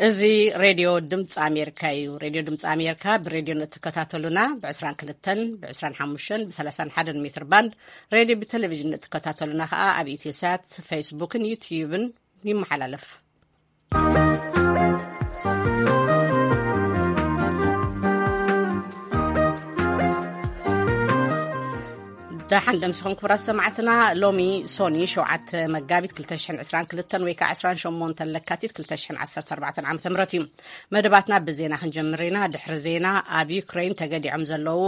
እዚ ሬድዮ ድምፂ ኣሜሪካ እዩ። ሬድዮ ድምፂ ኣሜሪካ ብሬድዮ ንእትከታተሉና ብ22፣ ብ25፣ ብ31 ሜትር ባንድ፣ ሬድዮ ብቴሌቪዥን ንእትከታተሉና ከዓ ኣብ ኢትዮሳት፣ ፌስቡክን ዩትዩብን ይመሓላለፍ። ደሓን ደምሲኹም ክቡራት ሰማዕትና። ሎሚ ሶኒ ሸውዓተ መጋቢት ክልተ ሽሕን ዕስራን ክልተን ወይ ከዓ ዕስራን ሸሞንተን ለካቲት ክልተ ሽሕን ዓሰርተ ኣርባዕተን ዓመተ ምህረት እዩ። መደባትና ብዜና ክንጀምር ኢና። ድሕሪ ዜና ኣብ ዩክሬን ተገዲዖም ዘለዉ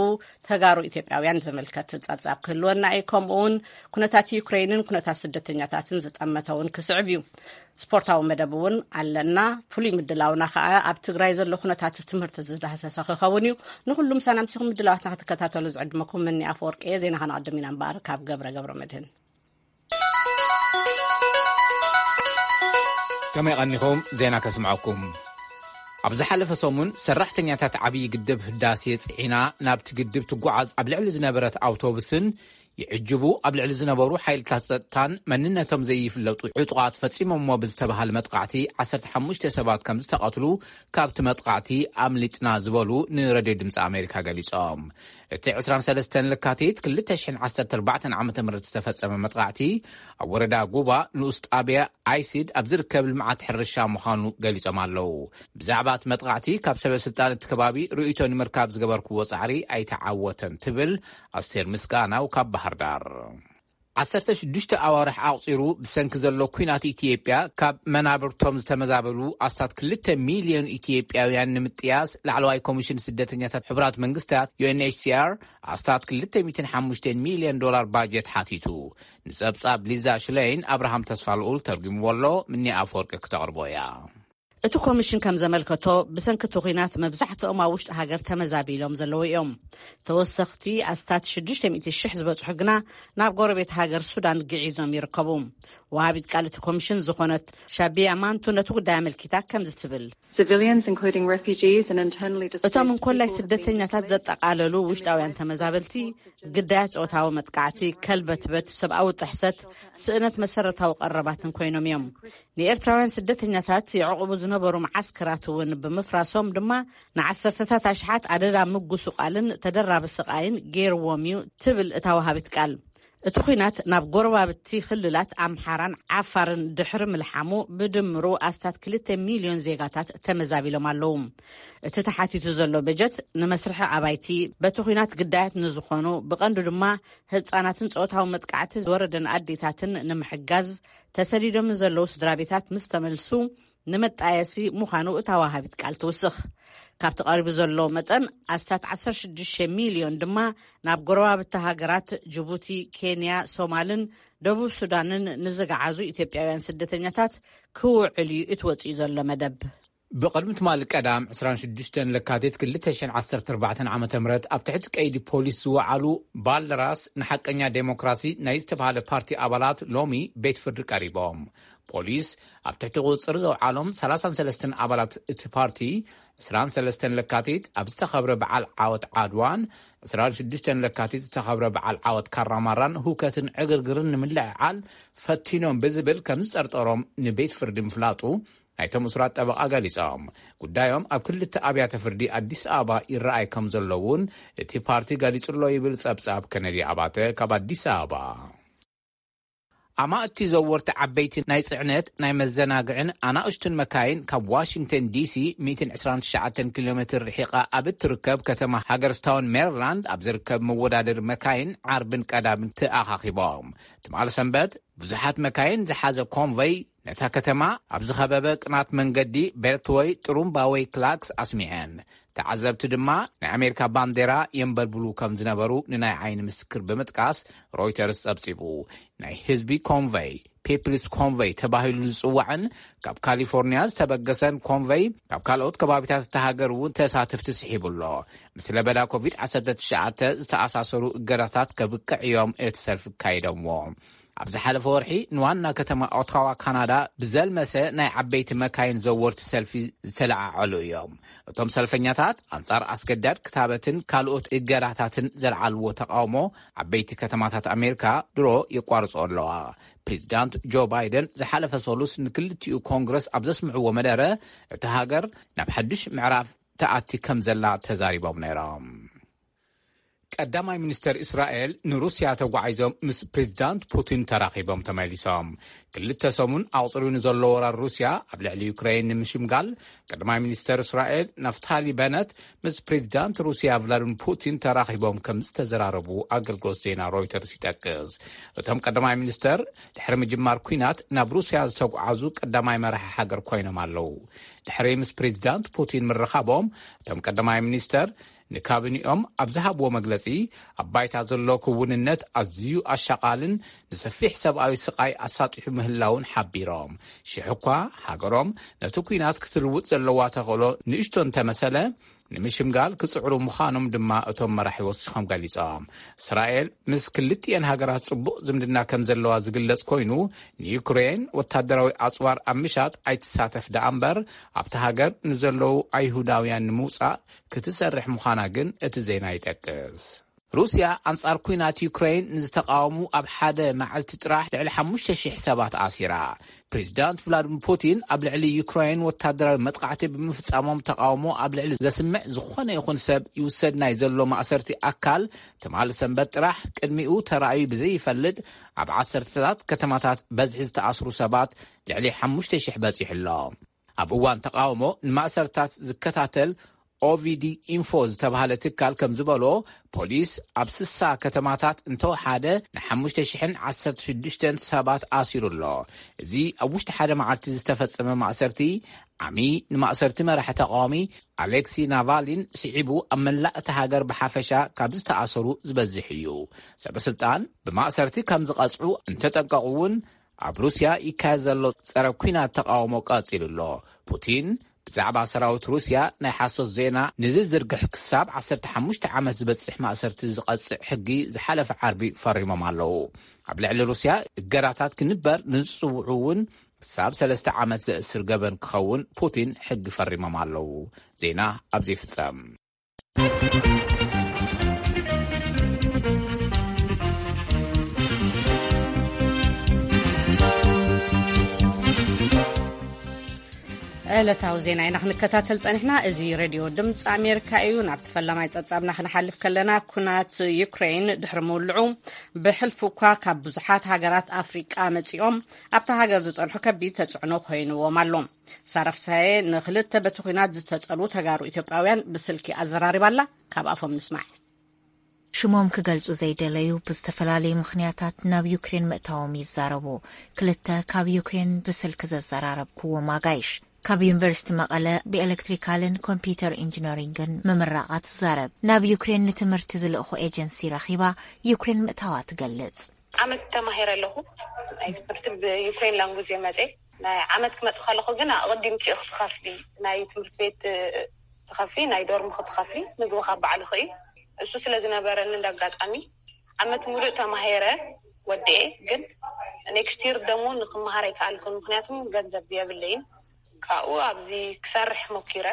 ተጋሩ ኢትዮጵያውያን ዘመልከት ጸብጻብ ክህልወና እዩ። ከምኡ እውን ኩነታት ዩክሬንን ኩነታት ስደተኛታትን ዝጠመተ እውን ክስዕብ እዩ። ስፖርታዊ መደብ እውን ኣለና። ፍሉይ ምድላውና ከዓ ኣብ ትግራይ ዘሎ ኩነታት ትምህርቲ ዝዳህሰሰ ክኸውን እዩ። ንኩሉ ምሳና ምሲኹም ምድላዋትና ክትከታተሉ ዝዕድመኩም ምኒ ኣፈወርቂ እየ። ዜና ከነቐድም ኢና እምበኣር ካብ ገብረ ገብረ መድህን። ከመይ ቀኒኹም? ዜና ከስምዐኩም። ኣብ ዝሓለፈ ሰሙን ሰራሕተኛታት ዓብዪ ግድብ ህዳሴ ጽዒና ናብቲ ግድብ ትጓዓዝ ኣብ ልዕሊ ዝነበረት ኣውቶቡስን ይዕጅቡ ኣብ ልዕሊ ዝነበሩ ሓይልታት ጸጥታን መንነቶም ዘይፍለጡ ዕጡቓት ፈጺሞሞ ብዝተባሃለ መጥቃዕቲ ዓሰርተ ሓሙሽተ ሰባት ከም ዝተቐትሉ ካብቲ መጥቃዕቲ ኣምሊጥና ዝበሉ ንሬድዮ ድምፂ ኣሜሪካ ገሊጾም። እቲ ዕስራን ሰለስተን ለካቲት ክልተ ሽሕን ዓሰርተ ኣርባዕተን ዓመተ ምህረት ዝተፈጸመ መጥቃዕቲ ኣብ ወረዳ ጉባ ንኡስ ጣብያ ኣይሲድ ኣብ ዝርከብ ልምዓት ሕርሻ ምዃኑ ገሊጾም ኣለዉ። ብዛዕባ እቲ መጥቃዕቲ ካብ ሰበ ስልጣን እቲ ከባቢ ርእይቶ ንምርካብ ዝገበርክዎ ጻዕሪ ኣይተዓወተን ትብል ኣስቴር ምስጋናው ካብ ባህር ዳር። ዓሰርተ ሽዱሽተ ኣዋርሕ ኣቑጺሩ ብሰንኪ ዘሎ ኲናት ኢትዮጵያ ካብ መናብርቶም ዝተመዛበሉ ኣስታት ክልተ ሚልዮን ኢትዮጵያውያን ንምጥያስ ላዕለዋይ ኮሚሽን ስደተኛታት ሕቡራት መንግስታት ዩ ኤን ኤች ሲ ኣር ኣስታት ክልተ ሚእትን ሓሙሽተን ሚልዮን ዶላር ባጀት ሓቲቱ። ንጸብጻብ ሊዛ ሽለይን ኣብርሃም ተስፋልኡል ተርጉምዎ ኣሎ። ምኒ ኣፈወርቂ ክተቕርቦ እያ። እቲ ኮሚሽን ከም ዘመልከቶ ብሰንኪ እቲ ኲናት መብዛሕትኦም ኣብ ውሽጢ ሃገር ተመዛቢሎም ዘለዉ እዮም። ተወሰኽቲ ኣስታት ሽዱሽተ ሚእቲ ሽሕ ዝበጽሑ ግና ናብ ጎረቤት ሃገር ሱዳን ግዒዞም ይርከቡ። ወሃቢት ቃል እቲ ኮሚሽን ዝኾነት ሻቢያ ማንቱ ነቲ ጉዳይ ኣመልኪታ ከምዚ ትብል። Civilians, including refugees and internally displaced እቶም እንኮላይ people, have been ስደተኛታት displaced. ዘጠቓለሉ ውሽጣውያን ተመዛበልቲ ግዳያት ጾታዊ መጥቃዕቲ፣ ከልበትበት፣ ሰብኣዊ ጥሕሰት፣ ስእነት መሰረታዊ ቀረባትን ኮይኖም እዮም። ንኤርትራውያን ስደተኛታት የዕቑቡ ዝነበሩ መዓስከራት እውን ብምፍራሶም ድማ ንዓሰርተታት ኣሽሓት ኣደዳ ምጉስቋልን ተደራቢ ስቓይን ገይርዎም እዩ ትብል እታ ወሃቢት ቃል። እቲ ኲናት ናብ ጎረባብቲ ክልላት ኣምሓራን ዓፋርን ድሕሪ ምልሓሙ ብድምሩ ኣስታት ክልተ ሚልዮን ዜጋታት ተመዛቢሎም ኣለዉ። እቲ ተሓቲቱ ዘሎ በጀት ንመስርሒ ኣባይቲ በቲ ኲናት ግዳያት ንዝኾኑ ብቐንዱ ድማ ህጻናትን ጾታዊ መጥቃዕቲ ዝወረደን ኣዴታትን ንምሕጋዝ ተሰዲዶም ዘለዉ ስድራ ቤታት ምስ ተመልሱ ንመጣየሲ ምዃኑ እታ ወሃቢት ቃል ትውስኽ። ካብቲ ቀሪቡ ዘሎ መጠን ኣስታት ዓሰርተ ሽዱሽተ ሚልዮን ድማ ናብ ጎረባብቲ ሃገራት ጅቡቲ፣ ኬንያ፣ ሶማልን ደቡብ ሱዳንን ንዝገዓዙ ኢትዮጵያውያን ስደተኛታት ክውዕል እዩ እቲ ወፂኡ ዘሎ መደብ። ብቕድሚ ትማሊ ቀዳም ዕስራን ሽዱሽተን ለካቲት ክልተ ሽሕን ዓሰርተ ኣርባዕተን ዓመተ ምህረት ኣብ ትሕቲ ቀይዲ ፖሊስ ዝወዓሉ ባልደራስ ንሓቀኛ ዴሞክራሲ ናይ ዝተባሃለ ፓርቲ ኣባላት ሎሚ ቤት ፍርዲ ቀሪቦም። ፖሊስ ኣብ ትሕቲ ቁፅፅር ዘውዓሎም ሰላሳን ሰለስተን ኣባላት እቲ ፓርቲ ዕስራን ሰለስተን ለካቲት ኣብ ዝተኸብረ በዓል ዓወት ዓድዋን ዕስራን ሽዱሽተን ለካቲት ዝተኸብረ በዓል ዓወት ካራማራን ሁከትን ዕግርግርን ንምልዕዓል ፈቲኖም ብዝብል ከም ዝጠርጠሮም ንቤት ፍርዲ ምፍላጡ ናይቶም እሱራት ጠበቓ ገሊጾም። ጉዳዮም ኣብ ክልተ ኣብያተ ፍርዲ ኣዲስ ኣበባ ይረኣይ ከም ዘሎ እውን እቲ ፓርቲ ገሊጹ ኣሎ ይብል ጸብጻብ ከነዲ ኣባተ ካብ ኣዲስ ኣበባ። ኣማእቲ ዘወርቲ ዓበይቲ ናይ ጽዕነት ናይ መዘናግዕን ኣናእሽቱን መካይን ካብ ዋሽንግተን ዲሲ ሚእትን ዕስራን ትሽዓተን ኪሎ ሜትር ርሒቓ ኣብ እትርከብ ከተማ ሃገርስታውን ሜሪላንድ ኣብ ዝርከብ መወዳደሪ መካይን ዓርብን ቀዳምን ተኣኻኺቦም። ትማሊ ሰንበት ብዙሓት መካይን ዝሓዘ ኮንቨይ ነታ ከተማ ኣብ ዝኸበበ ቅናት መንገዲ ቤልትወይ ጥሩምባ ወይ ክላክስ ኣስሚዐን። ተዓዘብቲ ድማ ናይ ኣሜሪካ ባንዴራ የንበልብሉ ከም ዝነበሩ ንናይ ዓይኒ ምስክር ብምጥቃስ ሮይተርስ ጸብጺቡ። ናይ ህዝቢ ኮንቨይ፣ ፒፕልስ ኮንቨይ ተባሂሉ ዝጽዋዕን ካብ ካሊፎርኒያ ዝተበገሰን ኮንቨይ ካብ ካልኦት ከባቢታት እታ ሃገር እውን ተሳተፍቲ ስሒቡ ኣሎ። ምስ ለበዳ ኮቪድ ዓሰርተ ትሽዓተ ዝተኣሳሰሩ እገዳታት ከብቅዕ እዮም እቲ ሰልፊ ካይዶምዎ። ኣብ ዝሓለፈ ወርሒ ንዋና ከተማ ኦታዋ ካናዳ ብዘልመሰ ናይ ዓበይቲ መካይን ዘወርቲ ሰልፊ ዝተለዓዓሉ እዮም። እቶም ሰልፈኛታት ኣንጻር ኣስገዳድ ክታበትን ካልኦት እገዳታትን ዘልዓልዎ ተቃውሞ ዓበይቲ ከተማታት ኣሜሪካ ድሮ የቋርጾ ኣለዋ። ፕሬዚዳንት ጆ ባይደን ዝሓለፈ ሰሉስ ንክልቲኡ ኮንግረስ ኣብ ዘስምዕዎ መደረ፣ እቲ ሃገር ናብ ሓድሽ ምዕራፍ ተኣቲ ከም ዘላ ተዛሪቦም ነይሮም። ቀዳማይ ሚኒስተር እስራኤል ንሩስያ ተጓዒዞም ምስ ፕሬዚዳንት ፑቲን ተራኺቦም ተመሊሶም። ክልተ ሰሙን ኣቑጽርዩ ንዘሎ ወራር ሩስያ ኣብ ልዕሊ ዩክሬን ንምሽምጋል፣ ቀዳማይ ሚኒስተር እስራኤል ናፍታሊ በነት ምስ ፕሬዚዳንት ሩስያ ቭላድሚር ፑቲን ተራኺቦም ከም ዝተዘራረቡ ኣገልግሎት ዜና ሮይተርስ ይጠቅስ። እቶም ቀዳማይ ሚኒስተር ድሕሪ ምጅማር ኲናት ናብ ሩስያ ዝተጓዓዙ ቀዳማይ መራሒ ሃገር ኮይኖም ኣለዉ። ድሕሪ ምስ ፕሬዚዳንት ፑቲን ምርኻቦም፣ እቶም ቀዳማይ ሚኒስተር ንካቢኒኦም ኣብ ዝሃብዎ መግለጺ፣ ኣብ ባይታ ዘሎ ክውንነት ኣዝዩ ኣሻቓልን ንሰፊሕ ሰብኣዊ ስቓይ ኣሳጢሑ ምህላውን ሓቢሮም። ሽሕ እኳ ሃገሮም ነቲ ኲናት ክትልውጥ ዘለዋ ተኽእሎ ንእሽቶ እንተመሰለ፣ ንምሽምጋል ክጽዕሩ ምዃኖም ድማ እቶም መራሒ ወሲኾም ገሊጾም። እስራኤል ምስ ክልቲኤን ሃገራት ጽቡቕ ዝምድና ከም ዘለዋ ዝግለጽ ኮይኑ፣ ንዩክሬን ወታደራዊ ኣጽዋር ኣብ ምሻጥ ኣይትሳተፍ ደኣ እምበር፣ ኣብቲ ሃገር ንዘለዉ ኣይሁዳውያን ንምውጻእ ክትሰርሕ ምዃና ግን እቲ ዜና ይጠቅስ። ሩስያ ኣንጻር ኲናት ዩክሬን ንዝተቃወሙ ኣብ ሓደ መዓልቲ ጥራሕ ልዕሊ ሓሙሽተ ሽሕ ሰባት ኣሲራ። ፕሬዚዳንት ቭላድሚር ፑቲን ኣብ ልዕሊ ዩክሬን ወታደራዊ መጥቃዕቲ ብምፍጻሞም ተቃውሞ ኣብ ልዕሊ ዘስምዕ ዝኾነ ይኹን ሰብ ይውሰድ ናይ ዘሎ ማእሰርቲ ኣካል ትማሊ ሰንበት ጥራሕ ቅድሚኡ ተራእዩ ብዘይፈልጥ ኣብ ዓሰርተታት ከተማታት በዝሒ ዝተኣስሩ ሰባት ልዕሊ ሓሙሽተ ሽሕ በጺሑ ኣሎ። ኣብ እዋን ተቃውሞ ንማእሰርታት ዝከታተል ኦቪዲ ኢንፎ ዝተባህለ ትካል ከም ዝበሎ፣ ፖሊስ ኣብ ስሳ ከተማታት እንተወሓደ ንሓሙሽተ ሽሕን ዓሰርተ ሽዱሽተን ሰባት ኣሲሩ ኣሎ። እዚ ኣብ ውሽጢ ሓደ መዓልቲ ዝተፈጸመ ማእሰርቲ፣ ዓሚ ንማእሰርቲ መራሒ ተቃዋሚ ኣሌክሲ ናቫሊን ስዒቡ፣ ኣብ መላእ እታ ሃገር ብሓፈሻ ካብ ዝተኣሰሩ ዝበዝሕ እዩ። ሰበ ስልጣን ብማእሰርቲ ከም ዝቐጽዑ እንተጠንቀቑ እውን፣ ኣብ ሩስያ ይካየድ ዘሎ ጸረ ኲናት ተቃውሞ ቀጺሉ ኣሎ። ፑቲን ብዛዕባ ሰራዊት ሩስያ ናይ ሓሶት ዜና ንዝዝርግሕ ክሳብ ዓሰርተ ሓሙሽተ ዓመት ዝበጽሕ ማእሰርቲ ዝቐጽዕ ሕጊ ዝሓለፈ ዓርቢ ፈሪሞም ኣለዉ። ኣብ ልዕሊ ሩስያ እገዳታት ክንበር ንዝጽውዑ እውን ክሳብ ሰለስተ ዓመት ዘእስር ገበን ክኸውን ፑቲን ሕጊ ፈሪሞም ኣለዉ። ዜና ኣብዚ ይፍጸም። ዕለታዊ ዜና ኢና ክንከታተል ጸኒሕና። እዚ ሬድዮ ድምፂ ኣሜሪካ እዩ። ናብቲ ፈላማይ ጸብጻብና ክንሓልፍ ከለና፣ ኩናት ዩክሬን ድሕሪ ምውልዑ፣ ብሕልፊ እኳ ካብ ብዙሓት ሃገራት ኣፍሪቃ መጺኦም ኣብታ ሃገር ዝጸንሑ ከቢድ ተጽዕኖ ኮይንዎም ኣሎ። ሳራ ፍስሃየ ንክልተ በቲ ኲናት ዝተጸልዉ ተጋሩ ኢትዮጵያውያን ብስልኪ ኣዘራሪባ ኣላ። ካብ ኣፎም ንስማዕ። ሽሞም ክገልጹ ዘይደለዩ ብዝተፈላለዩ ምኽንያታት ናብ ዩክሬን ምእታዎም ይዛረቡ። ክልተ ካብ ዩክሬን ብስልኪ ዘዘራረብኩዎም ኣጋይሽ፣ ካብ ዩኒቨርሲቲ መቐለ ብኤሌክትሪካልን ኮምፒውተር ኢንጂነሪንግን ምምራቓ ትዛረብ። ናብ ዩክሬን ንትምህርቲ ዝልእኹ ኤጀንሲ ረኺባ ዩክሬን ምእታዋ ትገልጽ። ዓመት ተማሂረ ኣለኹ። ናይ ትምህርቲ ብዩክሬን ላንጉጅ እየ መፅየ። ናይ ዓመት ክመፅእ ከለኹ ግን ኣቐዲምኪ ኢኺ ትኸፍሊ። ናይ ትምህርቲ ቤት ትኸፍሊ፣ ናይ ዶርም ክትኸፍሊ፣ ምግቢ ካብ ባዕልኺ እዩ። እሱ ስለ ዝነበረኒ እንደ ኣጋጣሚ ዓመት ሙሉእ ተማሂረ ወዲኤ። ግን ኔክስት ይር ደግሞ ንክመሃር ኣይከኣልኩን፣ ምክንያቱም ገንዘብ የብለይን። ካብኡ ኣብዚ ክሰርሕ ሞኪረ።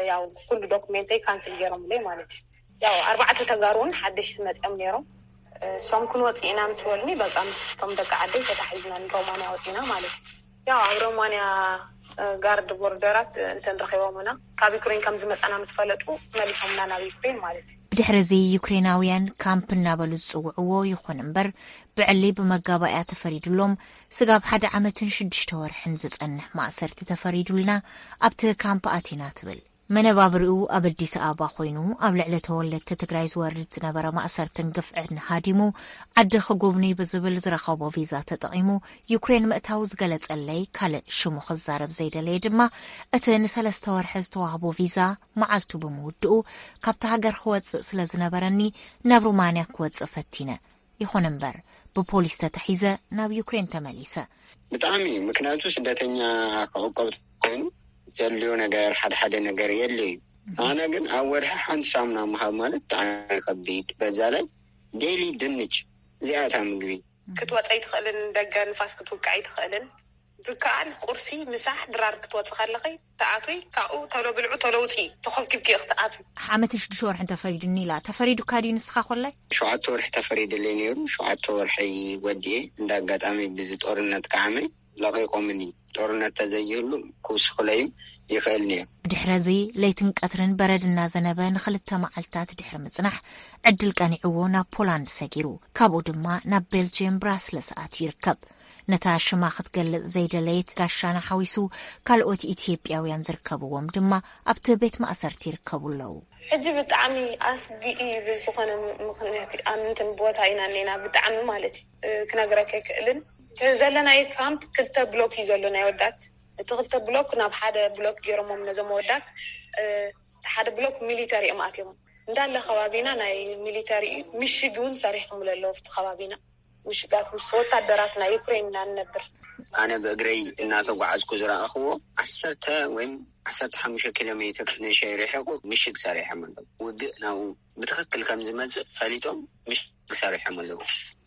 ያው ኩሉ ዶክሜንተይ ካንስል ገይሮምለይ ማለት እዩ። ያው ኣርባዕተ ተጋሩ እውን ሓደሽቲ መፅኦም ነይሮም። እሶም ክንወፅእ ኢና ምስ በሉኒ፣ በቃ ምስቶም ደቂ ዓደይ ተታሒዝና ንሮማንያ ወፂና ማለት እዩ። ያው ኣብ ሮማንያ ጋርድ ቦርደራት እንትን ረኺቦምና፣ ካብ ዩክሬን ከም ዝመፀና ምስ ፈለጡ መሊሶምና ናብ ዩክሬን ማለት እዩ። ብድሕሪ እዚ ዩክሬናውያን ካምፕ እናበሉ ዝፅውዕዎ ይኹን እምበር፣ ብዕሊ ብመጋባእያ ተፈሪዱሎም፣ ስጋብ ሓደ ዓመትን ሽዱሽተ ወርሕን ዝጸንሕ ማእሰርቲ ተፈሪዱልና፣ ኣብቲ ካምፕ ኣቲና ትብል። መነባብርኡ ኣብ ኣዲስ ኣበባ ኮይኑ፣ ኣብ ልዕሊ ተወለድቲ ትግራይ ዝወርድ ዝነበረ ማእሰርትን ግፍዕን ሃዲሙ፣ ዓዲ ክጉብኒ ብዝብል ዝረኸቦ ቪዛ ተጠቒሙ ዩክሬን ምእታው ዝገለጸለይ ካልእ ሽሙ ክዛረብ ዘይደለየ ድማ፣ እቲ ንሰለስተ ወርሒ ዝተዋህቦ ቪዛ መዓልቱ ብምውድኡ፣ ካብቲ ሃገር ክወጽእ ስለ ዝነበረኒ፣ ናብ ሩማንያ ክወጽእ ፈቲነ። ይኹን እምበር፣ ብፖሊስ ተታሒዘ ናብ ዩክሬን ተመሊሰ። ብጣዕሚ እዩ፣ ምክንያቱ ስደተኛ ክዕቆብ ኮይኑ ዘድልዮ ነገር፣ ሓደ ሓደ ነገር የድልዮ እዩ። ኣነ ግን ኣብ ወርሒ ሓንቲ ሳሙና ምሃብ ማለት ብጣዕሚ ከቢድ። በዛ ላይ ዴይሊ ድንች፣ እዚኣ እታ ምግቢ። ክትወፀ ኣይትኽእልን፣ ደገ ንፋስ ክትውቅዕ ኣይትኽእልን። ዝከኣል ቁርሲ፣ ምሳሕ፣ ድራር ክትወፂ ከለኺ ትኣትዊ፣ ካብኡ ተሎ ብልዑ፣ ተሎ ውፅኢ፣ ተኾብኪብኪ ክትኣትዊ። ዓመትን ሽዱሽተ ወርሕን ተፈሪዱኒ ኢላ። ተፈሪዱካ ድዩ ንስኻ ኮላይ? ሸውዓተ ወርሒ ተፈሪድለይ ነይሩ። ሸውዓተ ወርሒ ወዲኤ፣ እንዳ ኣጋጣሚ ብዚ ጦርነት ከዓመ ለቒቖምኒ። ጦርነት ተዘይህሉ ክውስኹለይም ይኽእል ነይሩ። ብድሕረዚ ለይትን ቀትርን በረድ እናዘነበ ንኽልተ መዓልታት ድሕሪ ምጽናሕ፣ ዕድል ቀኒዕዎ ናብ ፖላንድ ሰጊሩ። ካብኡ ድማ ናብ ቤልጅየም ብራስለስ ኣትዩ ይርከብ። ነታ ሽማ ክትገልጽ ዘይደለየት ጋሻና ሓዊሱ ካልኦት ኢትዮጵያውያን ዝርከብዎም ድማ ኣብቲ ቤት ማእሰርቲ ይርከቡ ኣለዉ። ሕጂ ብጣዕሚ ኣስጊኢ ብዝኾነ ምኽንያት ኣብ እንትን ቦታ ኢና እኒና፣ ብጣዕሚ ማለት እዩ፣ ክነግረካ ኣይክእልን። እቲ ዘለናዮ ካምፕ ክልተ ብሎክ እዩ ዘሎ ናይ ወዳት። እቲ ክልተ ብሎክ ናብ ሓደ ብሎክ ገይሮሞም ነዞም ወዳት። እቲ ሓደ ብሎክ ሚሊተሪ እዮም ኣትዮም። እንዳለ ከባቢና ናይ ሚሊተሪ እዩ። ምሽግ እውን ሰሪሖምሉ ኣለዉ ኣብቲ ከባቢና። ምሽጋት ምስ ወታደራት ናይ ዩክሬን ኢና ንነብር። ኣነ ብእግረይ እናተጓዓዝኩ ዝረኣኽዎ ዓሰርተ ወይም ዓሰርተ ሓሙሽተ ኪሎ ሜትር ንእሽተይ ርሒቑ ምሽግ ሰሪሖም ኣለዉ። ውግእ ናብኡ ብትኽክል ከም ዝመጽእ ፈሊጦም ምሽግ ሰሪሖም ኣለዉ።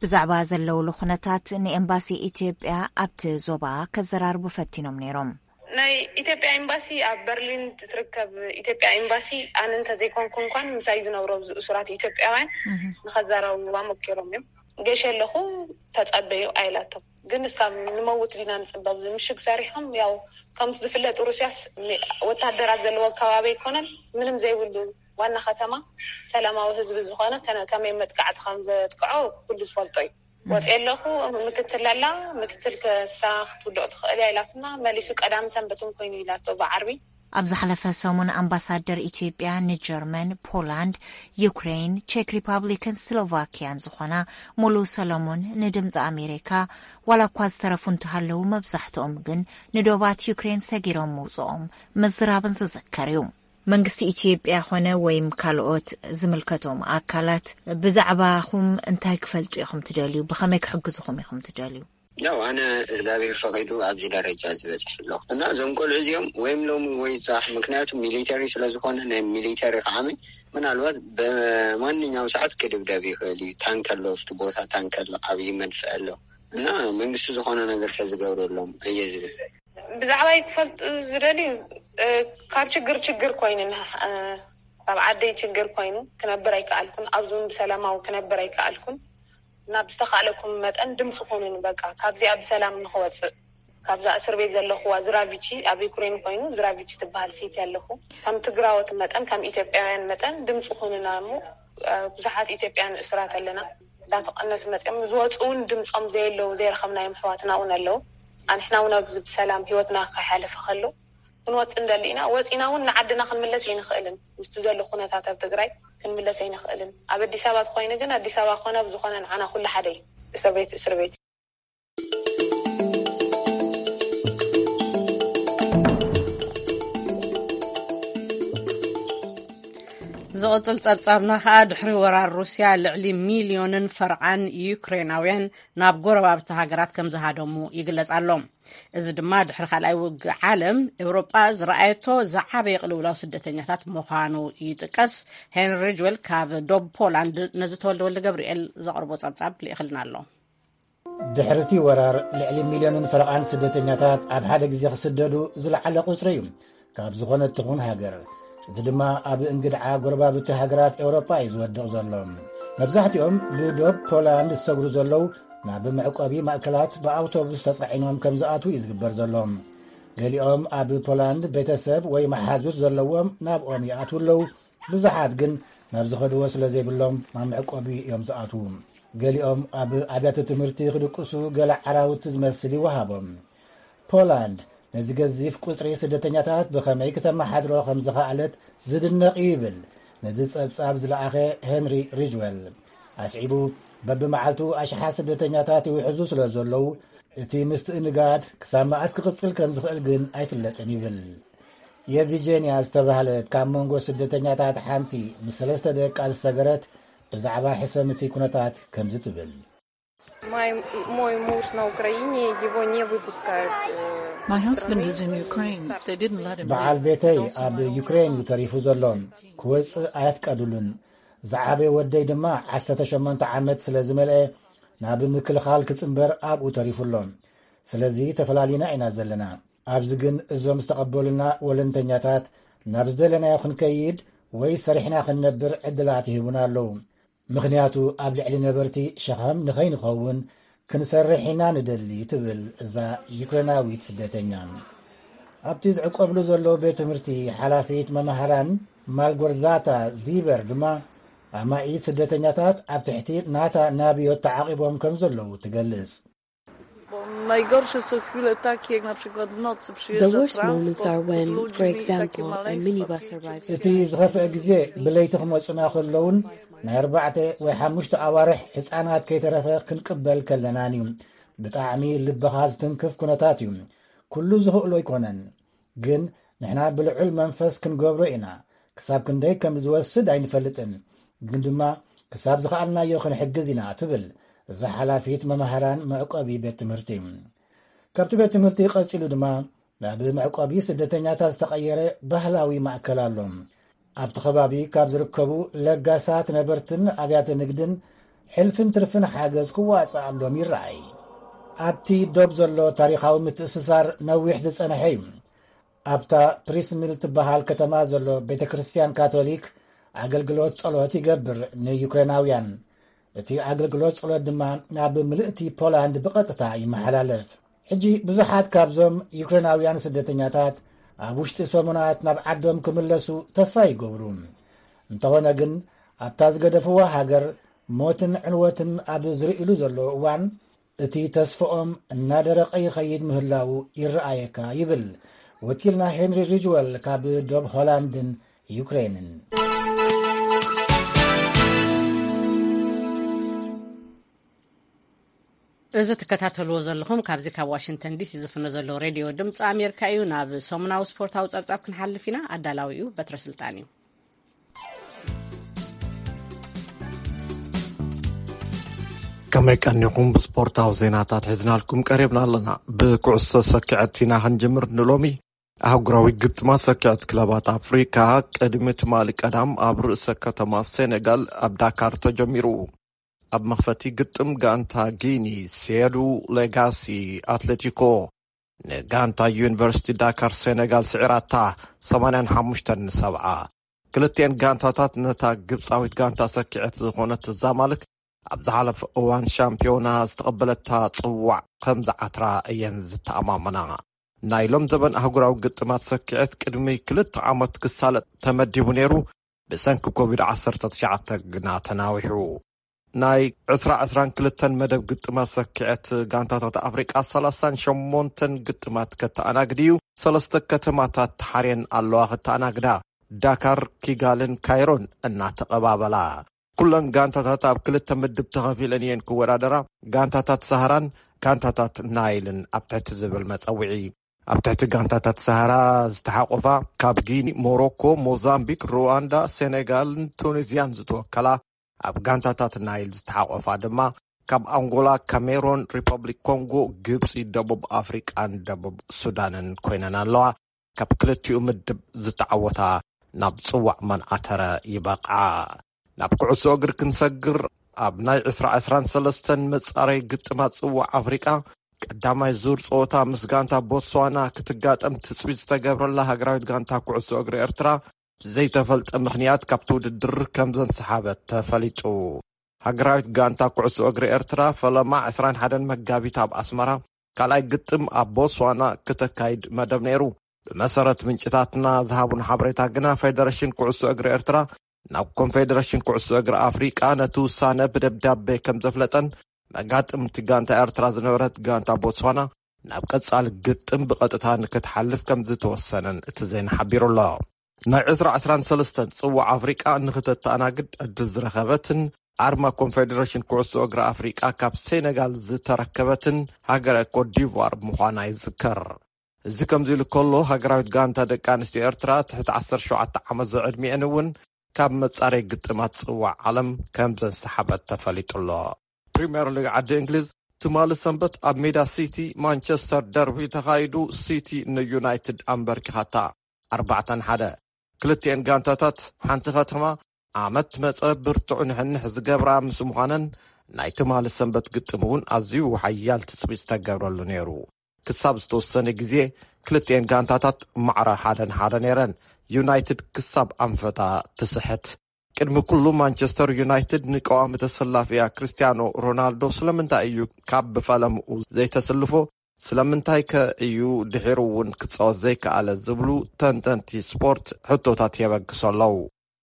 ብዛዕባ ዘለውሉ ኩነታት ንኤምባሲ ኢትዮጵያ ኣብቲ ዞባ ከዘራርቡ ፈቲኖም ነይሮም። ናይ ኢትዮጵያ ኤምባሲ ኣብ በርሊን ትርከብ ኢትዮጵያ ኤምባሲ ኣነ እንተዘይኮንኩ እንኳን ምሳይ ዝነብሩ ኣብዚ እሱራት ኢትዮጵያውያን ንኸዘራርብዋ ሞኪሮም እዮም። ገሽ ኣለኹ ተጸበዩ ኣይላቶም። ግን እስካብ ንመውት ዲና ንጽበብ ምሽግ ሰሪሖም ያው ከምቲ ዝፍለጥ ሩስያስ ወታደራት ዘለዎ ከባቢ ኣይኮነን ምንም ዘይብሉ ዋና ከተማ ሰላማዊ ህዝቢ ዝኾነ ከመይ መጥቃዕቲ ከም ዘጥቅዖ ኩሉ ዝፈልጦ እዩ። ወፂ ኣለኹ ምክትል ኣላ ምክትል ከሳ ክትውድቕ ትኽእል እያ ኢላትና መሊሱ ቀዳም ሰንበትን ኮይኑ ኢላቶ ብዓርቢ። ኣብ ዝሓለፈ ሰሙን ኣምባሳደር ኢትዮጵያ ንጀርመን፣ ፖላንድ፣ ዩክሬን፣ ቼክ ሪፓብሊክን ስሎቫኪያን ዝኾና ሙሉ ሰለሙን ንድምፂ ኣሜሪካ ዋላ እኳ ዝተረፉ እንተሃለዉ መብዛሕትኦም ግን ንዶባት ዩክሬን ሰጊሮም ምውፅኦም ምዝራብን ዝዝከር እዩ። መንግስቲ ኢትዮጵያ ኾነ ወይም ካልኦት ዝምልከቶም ኣካላት ብዛዕባኹም እንታይ ክፈልጡ ኢኹም ትደልዩ? ብኸመይ ክሕግዙኹም ኢኹም ትደልዩ? ያው ኣነ እግዚኣብሔር ፈቒዱ ኣብዚ ደረጃ ዝበፅሕ ኣለኹ እና እዞም ቆልዑ እዚኦም ወይም ሎሚ ወይ ዛሕ ምክንያቱ ሚሊተሪ ስለዝኾነ ናይ ሚሊተሪ ከዓመ ምናልባት በማንኛውም ሰዓት ክድብደብ ይኽእል እዩ። ታንክ ኣሎ ኣብቲ ቦታ ታንክ ኣሎ ዓብዪ መድፍዕ ኣሎ እና መንግስቲ ዝኾነ ነገር ተዝገብረሎም እየ ዝብል። ብዛዕባይ ክፈልጡ ዝደልዩ ካብ ችግር ችግር ኮይኑ ካብ ዓደይ ችግር ኮይኑ ክነብር ኣይከኣልኩን ኣብዙን ብሰላማዊ ክነብር ኣይከኣልኩን እና ብዝተኻእለኩም መጠን ድምፂ ኩኑን በቃ ካብዚኣ ብሰላም ንክወፅእ ካብዛ እስር ቤት ዘለኹዋ ዝራቪቺ ኣብ ዩክሬን ኮይኑ ዝራቪቺ ትበሃል ሲቲ ኣለኹ ከም ትግራወት መጠን ከም ኢትዮጵያውያን መጠን ድምፂ ኩኑና እሞ ብዙሓት ኢትዮጵያን እስራት ኣለና እንዳተቐነስ መፅኦም ዝወፁ እውን ድምፆም ዘየለዉ ዘይረኸብናዮም ኣሕዋትና እውን ኣለዉ ኣንሕና እውን ኣብዚ ብሰላም ሂወትና ከይሓለፈ ከሎ ክንወፅእ እንደሊ ኢና ወፂና እውን ንዓድና ክንምለስ ኣይንኽእልን ምስቲ ዘሎ ኩነታት ኣብ ትግራይ ክንምለስ ኣይንኽእልን ኣብ ኣዲስ ኣበባ ተኮይኑ ግን ኣዲስ ኣበባ ኮነ ኣብ ዝኾነ ንዓና ኩሉ ሓደ እዩ እስር ቤት እስር ቤት ዝቕጽል ጸብጻብና ከኣ ድሕሪ ወራር ሩስያ ልዕሊ ሚልዮንን ፈርቓን ዩክሬናውያን ናብ ጎረባብቲ ሃገራት ከም ዝሃደሙ ይግለጽ ኣሎ። እዚ ድማ ድሕሪ ካልኣይ ውግእ ዓለም ኤውሮጳ ዝረኣየቶ ዝዓበየ ቅልውላው ስደተኛታት ምዃኑ ይጥቀስ። ሄንሪ ሪጅዌል ካብ ዶብ ፖላንድ ነዚ ተወልደ ወልደ ገብርኤል ዘቕርቦ ጸብጻብ ልኢኽልና ኣሎ። ድሕርቲ ወራር ልዕሊ ሚልዮንን ፈረቓን ስደተኛታት ኣብ ሓደ ግዜ ክስደዱ ዝለዓለ ቁጽሪ እዩ ካብ ዝኾነት ትኹን ሃገር። እዚ ድማ ኣብ እንግድዓ ጎረባብቲ ሃገራት ኤውሮጳ እዩ ዝወድቕ ዘሎ። መብዛሕትኦም ብዶብ ፖላንድ ዝሰግሩ ዘለዉ ናብ መዕቆቢ ማእከላት ብኣውቶቡስ ተጻዒኖም ከም ዝኣትዉ እዩ ዝግበር ዘሎ። ገሊኦም ኣብ ፖላንድ ቤተሰብ ወይ መሓዙት ዘለዎም ናብኦም ይኣትዉ ኣለዉ። ብዙሓት ግን ናብ ዝኸድዎ ስለ ዘይብሎም ናብ መዕቆቢ እዮም ዝኣትዉ። ገሊኦም ኣብ ኣብያተ ትምህርቲ ክድቅሱ ገለ ዓራውቲ ዝመስል ይወሃቦም። ፖላንድ ነዚ ገዚፍ ቁጽሪ ስደተኛታት ብኸመይ ክተመሓድሮ ከም ዝኸኣለት ዝድነቕ እዩ ይብል ነዚ ጸብጻብ ዝለኣኸ ሄንሪ ሪጅወል። ኣስዒቡ በብመዓልቱ ኣሽሓት ስደተኛታት ይውሕዙ ስለ ዘለዉ እቲ ምስትእንጋድ ክሳብ መኣስ ክቕጽል ከም ዝኽእል ግን ኣይፍለጥን ይብል። የቪጀንያ ዝተባህለት ካብ መንጎ ስደተኛታት ሓንቲ ምስ ሰለስተ ደቃ ዝሰገረት ብዛዕባ ሕሰም እቲ ኩነታት ከምዚ ትብል። Мой муж на Украине, его не выпускают. My husband is in Ukraine. They didn't let him. በዓል ቤተይ ኣብ ዩክሬን እዩ ተሪፉ ዘሎ። ክወጽእ ኣየፍቀዱሉን። ዝዓበየ ወደይ ድማ ዓሰርተ ሸሞንተ ዓመት ስለ ዝመልአ ናብ ምክልኻል ክጽንበር ኣብኡ ተሪፉ ኣሎ። ስለዚ ተፈላሊና ኢና ዘለና። ኣብዚ ግን እዞም ዝተቐበሉና ወለንተኛታት ናብ ዝደለናዮ ክንከይድ ወይ ሰሪሕና ክንነብር ዕድላት ይህቡና ኣለዉ። ምኽንያቱ ኣብ ልዕሊ ነበርቲ ሸኸም ንኸይንኸውን ክንሰርሕ ኢና ንደሊ፣ ትብል እዛ ዩክሬናዊት ስደተኛ። ኣብቲ ዝዕቆብሉ ዘሎ ቤት ትምህርቲ ሓላፊት መምሃራን ማልጎርዛታ ዚበር ድማ ኣማኢት ስደተኛታት ኣብ ትሕቲ ናታ ናብዮት ተዓቒቦም ከም ዘለዉ ትገልጽ። Najgorsze są chwile takie, jak na przykład w nocy The worst moments are when, for example, a minibus arrives. እቲ ዝኸፍአ ግዜ ብለይቲ ክመጹና ከለውን ናይ ኣርባዕተ ወይ ሓሙሽተ ኣዋርሕ ህጻናት ከይተረፈ ክንቅበል ከለናን እዩ። ብጣዕሚ ልብኻ ዝትንክፍ ኩነታት እዩ። ኩሉ ዝኽእሎ ኣይኮነን፣ ግን ንሕና ብልዑል መንፈስ ክንገብሮ ኢና። ክሳብ ክንደይ ከም ዝወስድ ኣይንፈልጥን፣ ግን ድማ ክሳብ ዝኸኣልናዮ ክንሕግዝ ኢና፣ ትብል እዛ ሓላፊት መምሃራን መዕቆቢ ቤት ትምህርቲ። ካብቲ ቤት ትምህርቲ ቀጺሉ ድማ ናብ መዕቆቢ ስደተኛታት ዝተቐየረ ባህላዊ ማእከል ኣሎ። ኣብቲ ከባቢ ካብ ዝርከቡ ለጋሳት ነበርትን ኣብያተ ንግድን ሕልፍን ትርፍን ሓገዝ ክዋጻኣሎም ይረኣይ። ኣብቲ ዶብ ዘሎ ታሪኻዊ ምትእስሳር ነዊሕ ዝጸንሐ እዩ። ኣብታ ፕሪስሚል ትበሃል ከተማ ዘሎ ቤተ ክርስቲያን ካቶሊክ ኣገልግሎት ጸሎት ይገብር ንዩክሬናውያን። እቲ ኣገልግሎት ጸሎት ድማ ናብ ምልእቲ ፖላንድ ብቐጥታ ይመሓላለፍ። ሕጂ ብዙሓት ካብዞም ዩክሬናውያን ስደተኛታት ኣብ ውሽጢ ሰሙናት ናብ ዓዶም ክምለሱ ተስፋ ይገብሩ። እንተኾነ ግን ኣብታ ዝገደፍዋ ሃገር ሞትን ዕንወትን ኣብ ዝርእሉ ዘለዉ እዋን እቲ ተስፍኦም እናደረቐ ይኸይድ ምህላዉ ይረኣየካ ይብል ወኪልና ሄንሪ ሪጅወል ካብ ዶብ ሆላንድን ዩክሬንን። እዚ ትከታተልዎ ዘለኹም ካብዚ ካብ ዋሽንግተን ዲሲ ዝፍኖ ዘሎ ሬድዮ ድምፂ ኣሜሪካ እዩ። ናብ ሰሙናዊ ስፖርታዊ ፀብፃብ ክንሓልፍ ኢና። ኣዳላዊኡ በትረ ስልጣን እዩ። ከመይ ቀኒኹም? ብስፖርታዊ ዜናታት ሒዝናልኩም ቀሪብና ኣለና። ብኩዕሶ ሰኪዐት ኢና ክንጅምር ንሎሚ። ኣህጉራዊ ግጥማት ሰኪዐት ክለባት ኣፍሪካ ቅድሚ ትማሊ ቀዳም ኣብ ርእሰ ከተማ ሴኔጋል ኣብ ዳካር ተጀሚሩ። ኣብ መኽፈቲ ግጥም ጋንታ ጊኒ ሴዱ ሌጋሲ ኣትሌቲኮ ንጋንታ ዩኒቨርሲቲ ዳካር ሴኔጋል ስዒራታ ሰማንያን ሓሙሽተን ንሰብዓ። ክልቲኤን ጋንታታት ነታ ግብፃዊት ጋንታ ሰኪዐት ዝኾነት ዛማልክ ኣብ ዝሓለፈ እዋን ሻምፒዮና ዝተቐበለታ ፅዋዕ ከም ዝዓትራ እየን ዝተኣማመና። ናይ ሎም ዘበን ኣህጉራዊ ግጥማት ሰኪዐት ቅድሚ ክልተ ዓመት ክሳለጥ ተመዲቡ ነይሩ፣ ብሰንኪ ኮቪድ ዓሰርተ ትሽዓተ ግና ተናዊሑ። ናይ ዕስራ ዕስራን ክልተን መደብ ግጥማት ሰኪዐት ጋንታታት ኣፍሪቃ ሰላሳን ሸሞንተን ግጥማት ከተኣናግድ እዩ። ሰለስተ ከተማታት ተሓርየን ኣለዋ ክተኣናግዳ፣ ዳካር፣ ኪጋልን ካይሮን እናተቐባበላ። ኩለን ጋንታታት ኣብ ክልተ ምድብ ተኸፊለን እየን ክወዳደራ። ጋንታታት ሳህራን ጋንታታት ናይልን ኣብ ትሕቲ ዝብል መጸውዒ። ኣብ ትሕቲ ጋንታታት ሳህራ ዝተሓቆፋ ካብ ጊኒ፣ ሞሮኮ፣ ሞዛምቢክ፣ ሩዋንዳ፣ ሴኔጋልን ቱኒዝያን ዝተወከላ፣ ኣብ ጋንታታት ናይል ዝተሓቆፋ ድማ ካብ ኣንጎላ፣ ካሜሮን፣ ሪፐብሊክ ኮንጎ፣ ግብፂ፣ ደቡብ ኣፍሪቃን ደቡብ ሱዳንን ኮይነን ኣለዋ። ካብ ክልቲኡ ምድብ ዝተዓወታ ናብ ፅዋዕ መንዓተረ ይበቕዓ። ናብ ኩዕሶ እግሪ ክንሰግር፣ ኣብ ናይ ዕስራ ዕስራን ሰለስተን መጻረይ ግጥማት ጽዋዕ ኣፍሪቃ ቀዳማይ ዙር ጸወታ ምስ ጋንታ ቦትስዋና ክትጋጠም ትጽቢት ዝተገብረላ ሃገራዊት ጋንታ ኩዕሶ እግሪ ኤርትራ ብዘይተፈልጠ ምኽንያት ካብቲ ውድድር ከም ዘንሰሓበት ተፈሊጡ። ሃገራዊት ጋንታ ኩዕሶ እግሪ ኤርትራ ፈለማ ዕስራን ሓደን መጋቢት ኣብ ኣስመራ ካልኣይ ግጥም ኣብ ቦትስዋና ክተካይድ መደብ ነይሩ። ብመሰረት ምንጭታትና ዝሃቡን ሓበሬታ ግና፣ ፌደሬሽን ኩዕሶ እግሪ ኤርትራ ናብ ኮንፌደሬሽን ኩዕሶ እግሪ ኣፍሪቃ ነቲ ውሳነ ብደብዳቤ ከም ዘፍለጠን፣ መጋጥምቲ ጋንታ ኤርትራ ዝነበረት ጋንታ ቦትስዋና ናብ ቀጻሊ ግጥም ብቐጥታ ንክትሓልፍ ከም ዝተወሰነን እቲ ዜና ሓቢሩ ኣሎ። ናይ ዕስራ ዕስራን ሰለስተን ጽዋዕ ኣፍሪቃ ንክተተኣናግድ ዕድል ዝረኸበትን ኣርማ ኮንፌደሬሽን ኩዕሶ እግሪ ኣፍሪቃ ካብ ሴኔጋል ዝተረከበትን ሃገረ ኮትዲቯር ምዃና ይዝከር። እዚ ከምዚ ኢሉ ከሎ፣ ሃገራዊት ጋንታ ደቂ ኣንስትዮ ኤርትራ ትሕቲ ዓሰርተ ሸውዓተ ዓመት ዝዕድሚኤን እውን ካብ መጻረይ ግጥማት ጽዋዕ ዓለም ከም ዘንሰሓበት ተፈሊጡ ኣሎ። ፕሪምየር ሊግ ዓዲ እንግሊዝ ትማሊ ሰንበት ኣብ ሜዳ ሲቲ ማንቸስተር ደርቢ ተኻይዱ፣ ሲቲ ንዩናይትድ ኣንበርኪኻታ ኣርባዕተ ንሓደ። ክልቲኤን ጋንታታት ሓንቲ ከተማ ዓመት መጸ ብርቱዕ ንሕንሕ ዝገብራ ምስ ምዃነን፣ ናይ ትማሊ ሰንበት ግጥም እውን ኣዝዩ ሓያል ትጽቢት ዝተገብረሉ ነይሩ። ክሳብ ዝተወሰነ ግዜ ክልቲኤን ጋንታታት ማዕረ ሓደ ንሓደ ነይረን። ዩናይትድ ክሳብ ኣንፈታ ትስሕት። ቅድሚ ኩሉ ማንቸስተር ዩናይትድ ንቀዋሚ ተሰላፊያ ክርስቲያኖ ሮናልዶ ስለምንታይ እዩ ካብ ብፈለምኡ ዘይተስልፎ? ስለምንታይ ከ እዩ ድሒሩ እውን ክጻወት ዘይከኣለ ዝብሉ ተንተንቲ ስፖርት ሕቶታት የበግሱ ኣለዉ።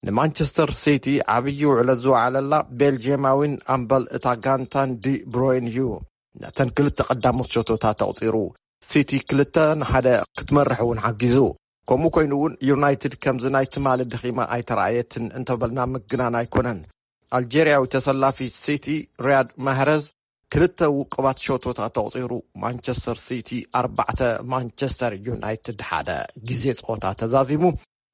ንማንቸስተር ሲቲ ዓብዪ ውዕለት ዝወዓለላ ቤልጅየማዊን ኣምበል እታ ጋንታን ዲ ብሮይን እዩ። ነተን ክልተ ቀዳሞት ሸቶታት ኣቑጺሩ። ሲቲ ክልተ ንሓደ ክትመርሕ እውን ሓጊዙ። ከምኡ ኮይኑ እውን ዩናይትድ ከምዚ ናይ ትማሊ ድኺማ ኣይተረኣየትን እንተበልና ምግናን ኣይኮነን። ኣልጀርያዊ ተሰላፊ ሲቲ ሪያድ ማህረዝ ክልተ ውቁባት ሸቶታት ኣቑጺሩ። ማንቸስተር ሲቲ ኣርባዕተ፣ ማንቸስተር ዩናይትድ ሓደ። ግዜ ጸወታ ተዛዚሙ።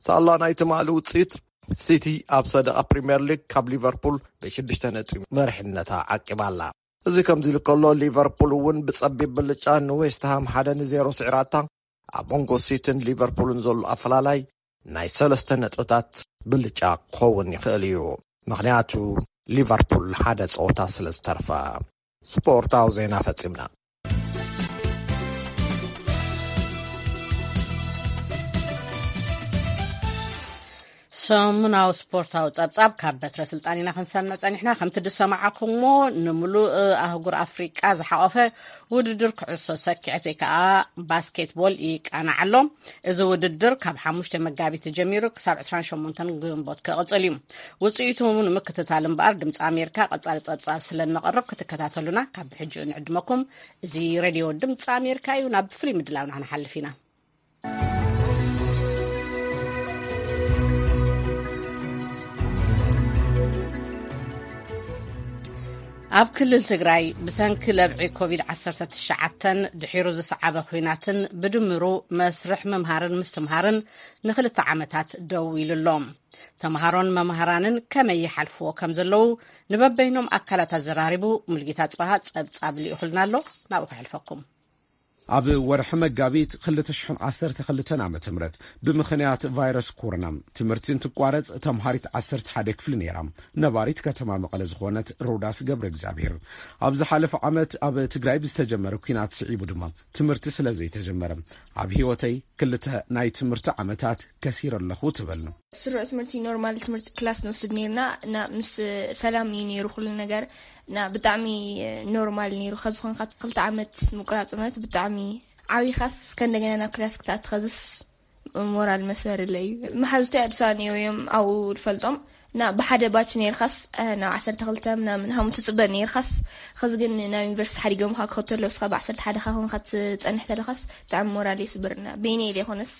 ሳላ ናይ ትማሊ ውጽኢት፣ ሲቲ ኣብ ሰደቓ ፕሪምየር ሊግ ካብ ሊቨርፑል ብሽዱሽተ ነጥቢ መሪሕነታ ዓቂባላ። እዚ ከምዚ ኢሉ ከሎ፣ ሊቨርፑል እውን ብጸቢብ ብልጫ ንዌስትሃም ሓደ ንዜሮ ስዒራታ። ኣብ መንጎ ሲቲን ሊቨርፑልን ዘሎ ኣፈላላይ ናይ ሰለስተ ነጥብታት ብልጫ ክኸውን ይኽእል እዩ። ምኽንያቱ ሊቨርፑል ሓደ ጸወታ ስለ ዝተርፋ። ስፖርታዊ ዜና ፈጺምና። ሰሙናዊ ስፖርታዊ ጸብጻብ ካብ በትረ ስልጣን ኢና ክንሰምዕ ጸኒሕና። ከምቲ ዝሰማዕኹምዎ፣ ንምሉእ ኣህጉር ኣፍሪቃ ዝሓቖፈ ውድድር ኩዕሶ ሰኪዐት ወይ ከዓ ባስኬትቦል ይቃናዕ ኣሎ። እዚ ውድድር ካብ ሓሙሽተ መጋቢት ተጀሚሩ ክሳብ ዕስራን ሸሞንተን ግንቦት ክቕጽል እዩ። ውጽኢቱ ንምክትታል እምበኣር ድምፂ ኣሜሪካ ቀጻሊ ጸብጻብ ስለ እነቕርብ ክትከታተሉና ካብ ብሕጂ ንዕድመኩም። እዚ ሬድዮ ድምፂ ኣሜሪካ እዩ። ናብ ፍሉይ ምድላውና ክንሓልፍ ኢና። ኣብ ክልል ትግራይ ብሰንኪ ለብዒ ኮቪድ ዓሰርተ ትሽዓተ ድሒሩ ዝሰዓበ ኲናትን ብድምሩ መስርሕ ምምሃርን ምስትምሃርን ንኽልተ ዓመታት ደው ኢሉ ኣሎ። ተምሃሮን መምሃራንን ከመይ ይሓልፍዎ ከም ዘለዉ ንበበይኖም ኣካላት ኣዘራሪቡ ሙልጌታ ጽባሃ ጸብጻብ ልኢኹልና ኣሎ። ናብኡ ከሕልፈኩም። ኣብ ወርሒ መጋቢት ክልተ ሽሕን ዓሰርተ ክልተን ዓመተ ምህረት ብምኽንያት ቫይረስ ኮሮና ትምህርቲ እንትቋረጽ ተምሃሪት ዓሰርተ ሓደ ክፍሊ ነይራ። ነባሪት ከተማ መቐለ ዝኾነት ሮዳስ ገብረ እግዚኣብሔር፣ ኣብ ዝሓለፈ ዓመት ኣብ ትግራይ ብዝተጀመረ ኲናት ስዒቡ ድማ ትምህርቲ ስለ ዘይተጀመረ ኣብ ህይወተይ ክልተ ናይ ትምህርቲ ዓመታት ከሲረ ኣለኹ ትብል። ስሩዕ ትምህርቲ ኖርማል ትምህርቲ ክላስ ንወስድ ነይርና እና ምስ ሰላም እዩ ነይሩ ኩሉ ነገር እና ብጣዕሚ ኖርማል ነይሩ። ከዚ ኾንካ ክልተ ዓመት ምቁራጽ ማለት ብጣዕሚ ዓብይኻስ ከእንደገና ናብ ክላስ ክትኣቲ ከዝስ ሞራል መስበርለ እዩ። መሓዙተይ ኣዲስ ኣበባ ነይሩ እዮም ኣብኡ ዝፈልጦም እና ብሓደ ባች ነይርካስ ናብ ዓሰርተ ክልተ ምናምን ሃሙ ትፅበ ነይርካስ ኸዚ ግን ናብ ዩኒቨርሲቲ ሓዲጎምካ ክኸተሎ እስኻ ብዓሰርተ ሓደ ካ ኾንካ ትፀንሕ ተለኻስ ብጣዕሚ ሞራል ይስብርና። በይነይ ኢለ ይኾነስ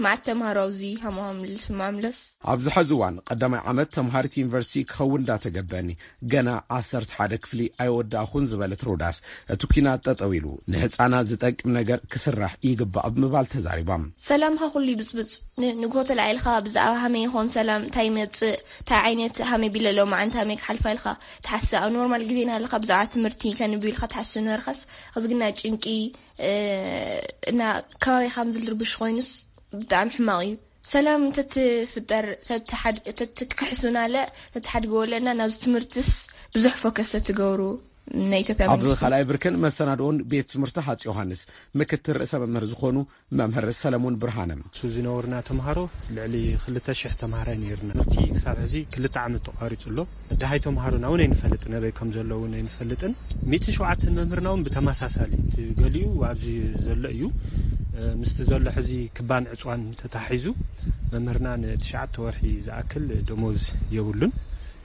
መዓት ተምሃሮ ኣብዚ ሃሙ ሃምልስ ማምለስ ኣብዚ ሐዚ እዋን ቀዳማይ ዓመት ተምሃሪት ዩኒቨርሲቲ ክኸውን እንዳተገበኒ ገና ዓሰርተ ሓደ ክፍሊ ኣይወዳእኹን ዝበለት ሮዳስ፣ እቲ ኲናት ጠጠው ኢሉ ንህፃናት ዝጠቅም ነገር ክስራሕ ይግባእ ብምባል ተዛሪባ። ሰላምካ ኩሉ ይብፅብፅ። ን-፣ ንግሆ ተላዒልካ ብዛዕባ ሃመይ ይኾን ሰላም እንታይ ይመፅእ፣ እንታይ ዓይነት ሃመይ ቢለ ሎማዓንቲ ሃመይ ክሓልፋ ኢልካ ትሓስብ። ኣብ ኖርማል ግዜ እናሃለካ ብዛዕባ ትምህርቲ ከንብብ ኢልካ ትሓስብ ነበርካስ፣ ኸዚ ግና ጭንቂ፣ እ፣ እና ከባቢኻ ምዝልርብሽ ኮይኑስ ብጣዕሚ ሕማቕ እዩ። ሰላም ተትፍጠር፣ ተትሓድ-፣ ተትክሕሱናለ፣ ተትሓድግወለና ናብዚ ትምህርትስ ብዙሕ ፎከስ ተትገብሩ ናይ ኢትዮጵያ ኣብ መንግስቲ። ካልኣይ ብርክን መሰናድኦን ቤት ትምህርቲ ሃጽ ዮሃንስ ምክትል ርእሰ መምህር ዝኾኑ መምህር ሰለሙን ብርሃነ። እሱ ዝነበሩና ተምሃሮ ልዕሊ ክልተ ሽሕ ተምሃራይ ነይርና። ትምህርቲ ክሳብ ሕዚ ክልተ ዓመት ተቋሪጹ ኣሎ። ደሃይ ተምሃሮና እውን ኣይንፈልጥን፣ ኣበይ ከም ዘለዉ እውን ኣይንፈልጥን። ሚእቲ ሸውዓተን መምህርና እውን ብተመሳሳሊ፣ እቲ ገሊኡ ኣብዚ ዘሎ እዩ። እ፣ ምስቲ ዘሎ ሕዚ ክባን ዕፅዋን ተታሒዙ መምህርና ንትሽዓተ ወርሒ ዝኣክል ደሞዝ የብሉን፣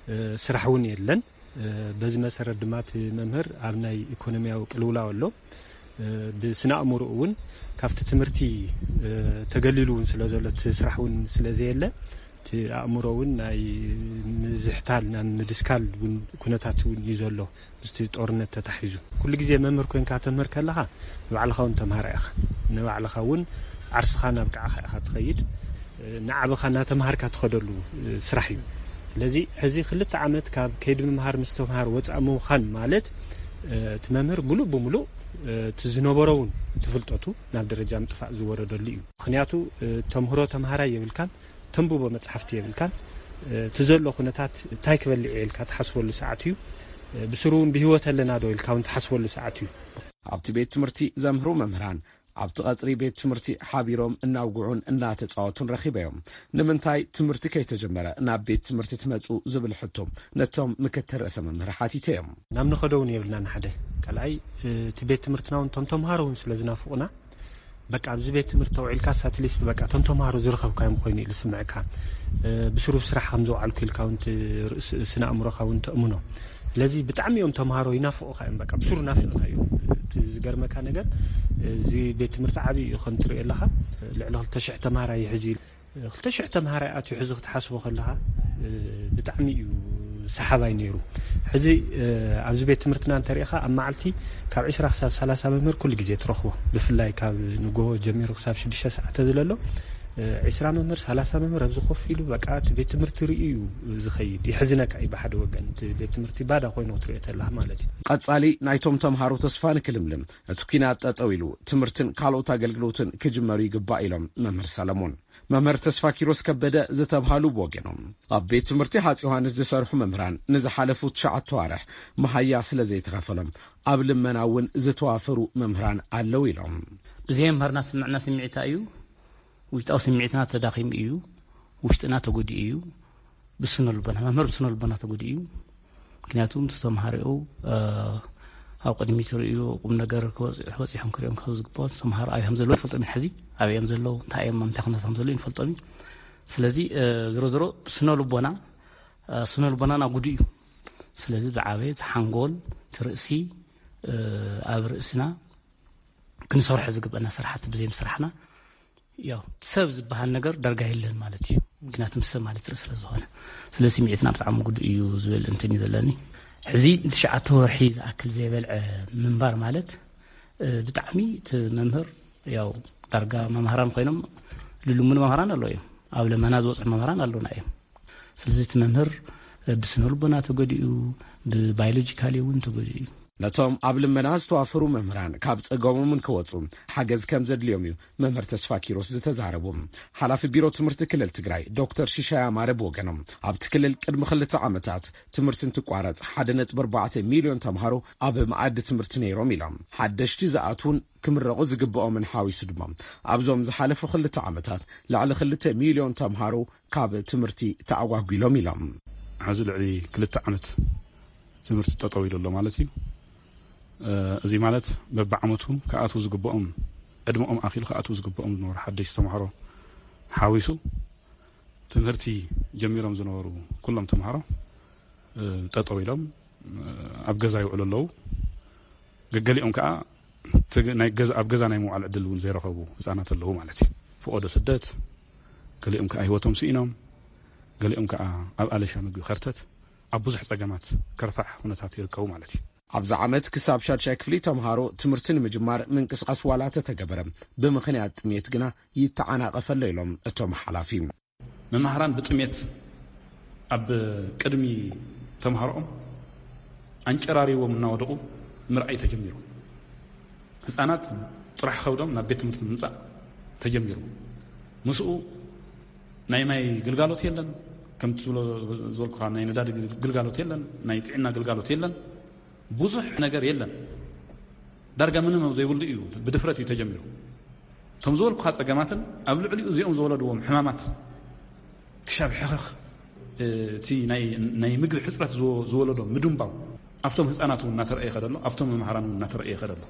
እ፣ ስራሕ እውን የለን። እ፣ በዚ መሰረት ድማ እቲ መምህር ኣብ ናይ ኢኮኖሚያዊ ቅልውላው ኣሎ። እ፣ ብስነ ኣእምሮ እውን ካብቲ ትምህርቲ፣ እ፣ ተገሊሉ እውን ስለ ዘሎ፣ እቲ ስራሕ እውን ስለ ዘየለ፣ እቲ ኣእምሮ እውን ናይ ምዝሕታል፣ ናይ ምድስካል እውን ኩነታት እውን እዩ ዘሎ። ምስቲ ጦርነት ተታሒዙ፣ ኩሉ ግዜ መምህር ኮይንካ ተምህር ከለኻ ንባዕልኻ እውን ተምሃራይ ኢኻ። ንባዕልኻ እውን ዓርስኻ ናብ ቃዕኻ ኢኻ ትኸይድ። ንዓበኻ እናተምሃርካ ትኸደሉ ስራሕ እዩ። ስለዚ ሕዚ ክልተ ዓመት ካብ ከይዲ ምምሃር ምስትምሃር ወፃእ ምዃን ማለት፣ እቲ መምህር ሙሉእ ብሙሉእ እቲ ዝነበሮ እውን እቲ ፍልጠቱ ናብ ደረጃ ምጥፋእ ዝወረደሉ እዩ። ምኽንያቱ ተምህሮ ተምሃራይ የብልካን፣ ተንብቦ መፅሓፍቲ የብልካን። እቲ ዘሎ ኩነታት እንታይ ክበልዕ እየ ኢልካ ትሓስበሉ ሰዓት እዩ። ብስሩ እውን ብህይወት ኣለና ዶ ኢልካ እውን ትሓስበሉ ሰዓት እዩ። ኣብቲ ቤት ትምህርቲ ዘምህሩ መምህራን ኣብቲ ቀጽሪ ቤት ትምህርቲ ሓቢሮም እናውግዑን እናተጻወቱን ረኺበዮም። ንምንታይ ትምህርቲ ከይተጀመረ ናብ ቤት ትምህርቲ ትመጹ ዝብል ሕቶ ነቶም ምክትል ርእሰ መምህር ሓቲተዮም። ናብ ንኸዶ እውን የብልናን ሓደ ካልኣይ እቲ ቤት ትምህርትና እውን እቶም ተምሃሮ እውን ስለ ዝናፍቑና በቃ ኣብዚ ቤት ትምህርቲ ተውዒልካ ሳትሊስት በቃ እቶም ተምሃሮ ዝረኸብካዮም ኮይኑ ኢሉ ስምዕካ ብስሩብ ስራሕ ከም ዘውዓልኩ ኢልካ እውን ስነ ኣእምሮኻ እውን ተእምኖ። ስለዚ ብጣዕሚ እዮም ተምሃሮ ይናፍቑኻ እዮም በቃ ብስሩ ናፍቕና እዮም። ዝገርመካ ነገር እዚ ቤት ትምህርቲ ዓብዪ እዩ ከም ትሪኦ ኣለኻ። ልዕሊ ክልተ ሽሕ ተምሃራይ ይሕዚ ክልተ ሽሕ ተምሃራይ ኣትዩ ሕዚ ክትሓስቦ ከለኻ ብጣዕሚ እዩ ሰሓባይ ነይሩ። ሕዚ ኣብዚ ቤት ትምህርትና እንተሪኢኻ ኣብ መዓልቲ ካብ ዕስራ ክሳብ ሰላሳ መምህር ኩሉ ግዜ ትረኽቦ። ብፍላይ ካብ ንጎሆ ጀሚሩ ክሳብ ሽዱሽተ ሰዓት ተዝለሎ ዕስራ መምህር ሰላሳ መምህር ኣብዚ ኮፍ ኢሉ በቃ እቲ ቤት ትምህርቲ ርእዩ እዩ ዝኸይድ። ይሕዝነካ እዩ ብሓደ ወገን እቲ ቤት ትምህርቲ ባዳ ኮይኑ ክትሪኦ ተለኻ ማለት እዩ። ቀጻሊ ናይቶም ተምሃሮ ተስፋ ንክልምልም እቲ ኲናት ጠጠው ኢሉ ትምህርትን ካልኦት ኣገልግሎትን ክጅመሩ ይግባእ ኢሎም መምህር ሰለሞን። መምህር ተስፋኪሮስ ከበደ ዝተብሃሉ ብወገኖም ኣብ ቤት ትምህርቲ ሃጽ ዮሃንስ ዝሰርሑ መምህራን ንዝሓለፉ ትሽዓተ ኣዋርሕ መሃያ ስለ ዘይተኸፈሎም ኣብ ልመና እውን ዝተዋፈሩ መምህራን ኣለዉ ኢሎም። ብዘይ መምህርና ዝስምዐና ስምዒት እንታይ እዩ? ውሽጣዊ ስምዒትና ተዳኺሙ እዩ። ውሽጥና ተጎዲኡ እዩ። ብስነ ልቦና መምህር ብስነ ልቦና ተጎዲኡ እዩ። ምክንያቱ እቲ ተምሃሪኡ ኣብ ቅድሚት ርእዩ ቁም ነገር ክበፅሑ በፂሖም ክሪኦም ካብ ዝግባኦ ተምሃሮ ኣበይ ከም ዘለዉ ይፈልጦም እዩ። ሕዚ ኣበይ እዮም ዘለዉ እንታይ እዮም ኣብ ምንታይ ኩነታት ከም ዘለዉ ይፈልጦም እዩ። ስለዚ ዝሮ ዝሮ ስነ ልቦና ስነ ልቦናና ጉዱ እዩ። ስለዚ ዝዓበየ እቲ ሓንጎል እቲ ርእሲ ኣብ ርእስና ክንሰርሖ ዝግበአና ስራሕቲ ብዘይ ምስራሕና ያው ሰብ ዝበሃል ነገር ዳርጋ የለን ማለት እዩ። ምክንያቱ ምስ ሰብ ማለት ርኢ ስለ ዝኾነ ስለ ስምዒትና ብጣዕሚ ጉዱእ እዩ ዝብል እንትን እዩ ዘለኒ። ሕዚ ንትሽዓተ ወርሒ ዝኣክል ዘይበልዐ ምንባር ማለት ብጣዕሚ እቲ መምህር ያው ዳርጋ መምሃራን ኮይኖም ልልሙኑ መምሃራን ኣለዉ እዮም። ኣብ ለመና ዝበፅሑ መምሃራን ኣለዉና እዮም። ስለዚ እቲ መምህር ብስነ ልቦና ተጎዲኡ ብባዮሎጂካሊ እውን ተጎዲኡ እዩ። ነቶም ኣብ ልመና ዝተዋፈሩ መምህራን ካብ ጸገሞም እንክወጹ ሓገዝ ከም ዘድልዮም እዩ መምህር ተስፋኪሮስ ዝተዛረቡ። ሓላፊ ቢሮ ትምህርቲ ክልል ትግራይ ዶክተር ሽሻይ ኣማረ ብወገኖም ኣብቲ ክልል ቅድሚ ክልተ ዓመታት ትምህርቲ እንትቋረጽ ሓደ ነጥቢ ኣርባዕተ ሚልዮን ተምሃሮ ኣብ መኣዲ ትምህርቲ ነይሮም ኢሎም። ሓደሽቲ ዝኣትዉን ክምረቑ ዝግብኦምን ሓዊሱ ድማ ኣብዞም ዝሓለፉ ክልተ ዓመታት ልዕሊ ክልተ ሚልዮን ተምሃሮ ካብ ትምህርቲ ተኣጓጒሎም ኢሎም። ሕዚ ልዕሊ ክልተ ዓመት ትምህርቲ ጠጠው ኢሉ ኣሎ ማለት እዩ። እዚ ማለት በብዓመቱ ክኣትዉ ዝግብኦም ዕድመኦም ኣኺሉ ክኣትዉ ዝግብኦም ዝነበሩ ሓደሽቲ ተምሃሮ ሓዊሱ ትምህርቲ ጀሚሮም ዝነበሩ ኩሎም ተምሃሮ ጠጠው ኢሎም ኣብ ገዛ ይውዕሉ ኣለዉ። ገገሊኦም ከዓ ናይ ገዛ ኣብ ገዛ ናይ ምውዓል ዕድል እውን ዘይረኸቡ ህፃናት ኣለዉ ማለት እዩ። ፍቆዶ ስደት ገሊኦም ከዓ ህይወቶም ስኢኖም ገሊኦም ከዓ ኣብ ኣለሻ ምግቢ ከርተት ኣብ ብዙሕ ፀገማት ከርፋሕ ኩነታት ይርከቡ ማለት እዩ። ኣብዚ ዓመት ክሳብ ሻድሻይ ክፍሊ ተምሃሮ ትምህርቲ ንምጅማር ምንቅስቃስ ዋላ ተተገበረ ብምኽንያት ጥሜት ግና ይተዓናቀፈ ኣሎ ኢሎም እቶም ሓላፊ። መማህራን ብጥሜት ኣብ ቅድሚ ተምሃሮኦም ኣንጨራሪዎም እናወደቑ ምርኣይ ተጀሚሩ። ህፃናት ጥራሕ ከብዶም ናብ ቤት ትምህርቲ ምምፃእ ተጀሚሩ። ምስኡ ናይ ማይ ግልጋሎት የለን፣ ከምቲ ዝበልኩካ ናይ ነዳዲ ግልጋሎት የለን፣ ናይ ጥዕና ግልጋሎት የለን። ብዙሕ ነገር የለን። ዳርጋ ምንም ኣብ ዘይብሉ እዩ ብድፍረት እዩ ተጀሚሩ። እቶም ዝበልኩኻ ፀገማትን ኣብ ልዕሊኡ እዚኦም ዝወለድዎም ሕማማት ክሻብ ሕኽኽ እቲ ናይ ምግቢ ሕፅረት ዝወለዶ ምድንባው ኣብቶም ህፃናት እውን እናተረእየ ይኸደ ኣሎ፣ ኣብቶም መምሃራን እውን እናተረእየ ይኸደ ኣሎ።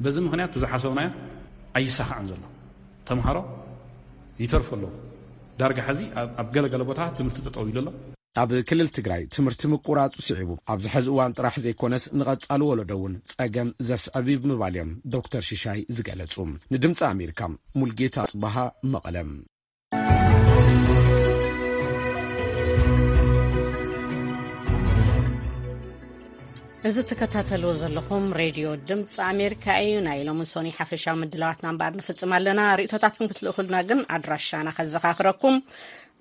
በዚ ምኽንያት እቲ ዝሓሰብናዮ ኣይሳኻዕን ዘሎ። ተምሃሮ ይተርፉ ኣለዉ። ዳርጋ ሕዚ ኣብ ገለገለ ቦታታት ትምህርቲ ጠጠው ኢሉ ኣሎ። ኣብ ክልል ትግራይ ትምህርቲ ምቁራፁ ስዒቡ ኣብዚ ሕዚ እዋን ጥራሕ ዘይኮነስ ንቐፃሊ ወለዶ እውን ፀገም ዘስዕብ እዩ ብምባል እዮም ዶክተር ሽሻይ ዝገለፁ። ንድምፂ ኣሜሪካ ሙልጌታ ፅባሃ መቐለ። እዚ ትከታተልዎ ዘለኹም ሬድዮ ድምፂ ኣሜሪካ እዩ። ናይ ሎሚ ሶኒ ሓፈሻዊ ምድላዋትና እምበኣር ንፍፅም ኣለና። ርእቶታትኩም ክትልእኹልና ግን ኣድራሻና ከዘኻኽረኩም።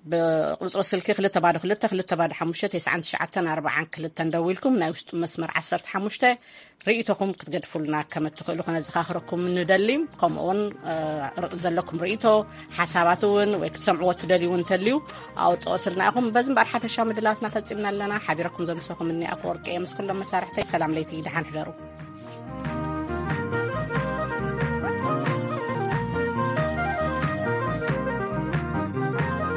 ብቁፅሪ ስልኪ ክልተ ባዶ ክልተ ክልተ ባዶ ሓሙሽተ ተስዓን ትሽዓተን ኣርባዓን ክልተን ደዊልኩም ናይ ውሽጢ መስመር ዓሰርተ ሓሙሽተ ርእይቶኹም ክትገድፉልና ከም እትኽእሉ ከነዘኻኽረኩም ንደሊ። ከምኡውን ዘለኩም ርእይቶ፣ ሓሳባት እውን ወይ ክትሰምዕዎ ትደልዩ እንተልዩ ኣውጥኦ ስልና ኢኹም። በዚ እምበኣር ሓፈሻ ምድላትና ፈፂምና ኣለና። ሓቢረኩም ዘምሰኹም እኒ ኣፈወርቂ እየ ምስ ኩሎም መሳርሕተይ። ሰላም ለይቲ፣ ደሓን ሕደሩ።